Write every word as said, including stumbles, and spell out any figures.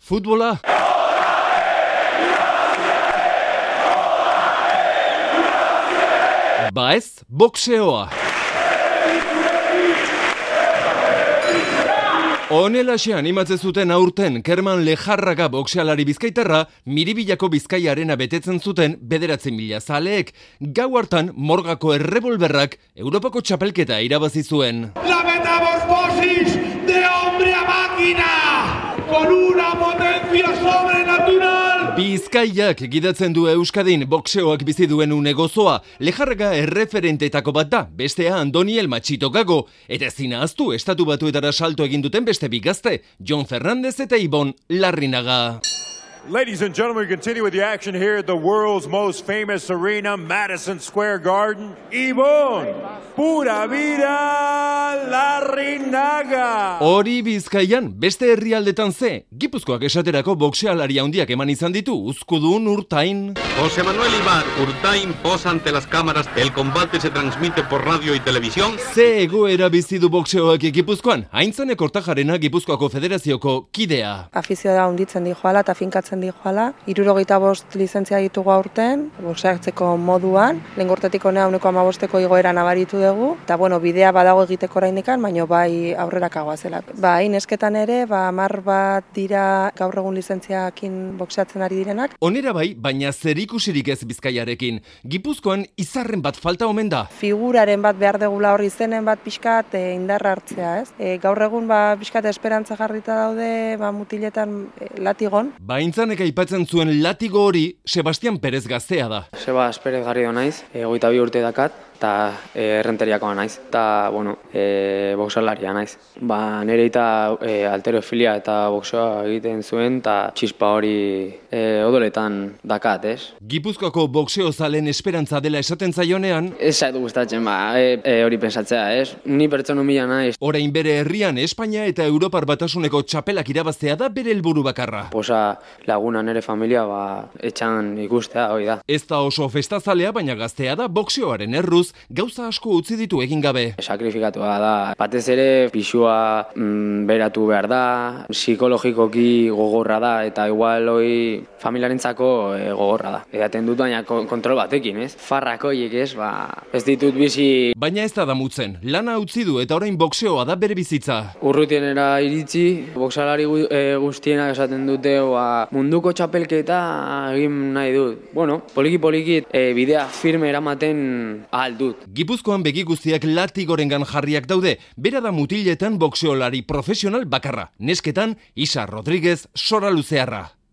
Futbola? Ba ez, boxeoa. Honelaxe animatzen zuten aurten Kerman Lejarraga boxealari bizkaitarra Miribillako Bizkaiarena betetzen zuten bederatzi mila zaleek. Gau hartan Morgako errebolberrak Europako txapelketa irabazi zuen. La metamorfosis de hombre a máquina con una potencia sobrenatural. Bizkaiak gidatzen du Euskadin boxeoak bizi duen une gozoa. Lejarraga erreferentetako bat da, bestea Andoniel Machito Gago, eta ezin ahaztu estatu batuetara salto egin duten beste bi gazte, Jon Fernandez eta Ibon Larrinaga. Ladies and gentlemen, we continue with the action here at the world's most famous arena, Madison Square Garden. Ibon Pura Vida Larrinaga. Hori Bizkaian, beste herrialdetan ze, Gipuzkoak esaterako boxealari handiak eman izan ditu, Uzkudun, Urtain. José Manuel Ibar, Urtain posa ante las cámaras, el combate se transmite por radio y televisión. Ze egoera bizi du boxeoak Gipuzkoan, Aintzane Kortajarena Gipuzkoako Federazioko kidea. Afizio da hunditzen di joala eta finkatzen di joala. Hirurogeita bost lizentzia ditugu aurten, boxeatzeko moduan. Lehen gortetik honea uneko amabosteko igoera nabaritu dugu. Eta bueno, bidea badago egiteko oraindikan, baina bai aurrera kagoazela. Bai, nesketan ere, ba hamar bat dira gaur egun lizentziakin boxeatzen ari direnak. Onera bai, baina zerikusirik ez Bizkaiarekin. Gipuzkoan izarren bat falta omen da. Figuraren bat behar degula hor izenen bat pixkat e, indarra hartzea, ez? E, gaur egun ba pixkat esperantza jarrita daude, ba mutiletan e, latigon. Baintzanek aipatzen zuen latigo hori Sebastian Perez gaztea da. Sebas Perez Garrido naiz, hogeita bi urte dakat, eta e, errenteriakoa naiz, eta, bueno, e, boxealaria naiz. Ba, nire eta e, alterofilia eta boxeoa egiten zuen, eta txispa hori e, odoletan dakat, ez? Gipuzkoako boxeo zalen esperantza dela esaten zaionean, Ez zaitu gustatzen, ba, e, e, hori pensatzea, ez? Ni pertsona humila naiz. orain bere herrian Espainia eta Europar Batasuneko txapelak irabaztea da bere helburu bakarra. Posa laguna nire familia, ba, etxan ikustea, hori da. Ez da oso festazalea, baina gaztea da boxeoaren erruz, gauza asko utzi ditu egin gabe. Sakrifikatua da. Batez ere, pisua mm, beratu behar da, psikologikoki gogorra da, eta igual hoi familiarentzako e, gogorra da. Edaten dut baina kontrol batekin, ez? Farrakoiek, ez? Ba, ez ditut bizi... Baina ez da damutzen, lana utzi du eta orain boxeoa da bere bizitza. Urrutienera iritsi, boxalari gu, e, guztienak esaten dute, ba, munduko txapelketa egin nahi dut. Bueno, poliki-poliki e, bidea firme eramaten ahal dut. Gipuzkoan begi guztiak latigorengan jarriak daude, bera da mutiletan boxeolari profesional bakarra. Nesketan, Isa Rodríguez Sora Luzearra.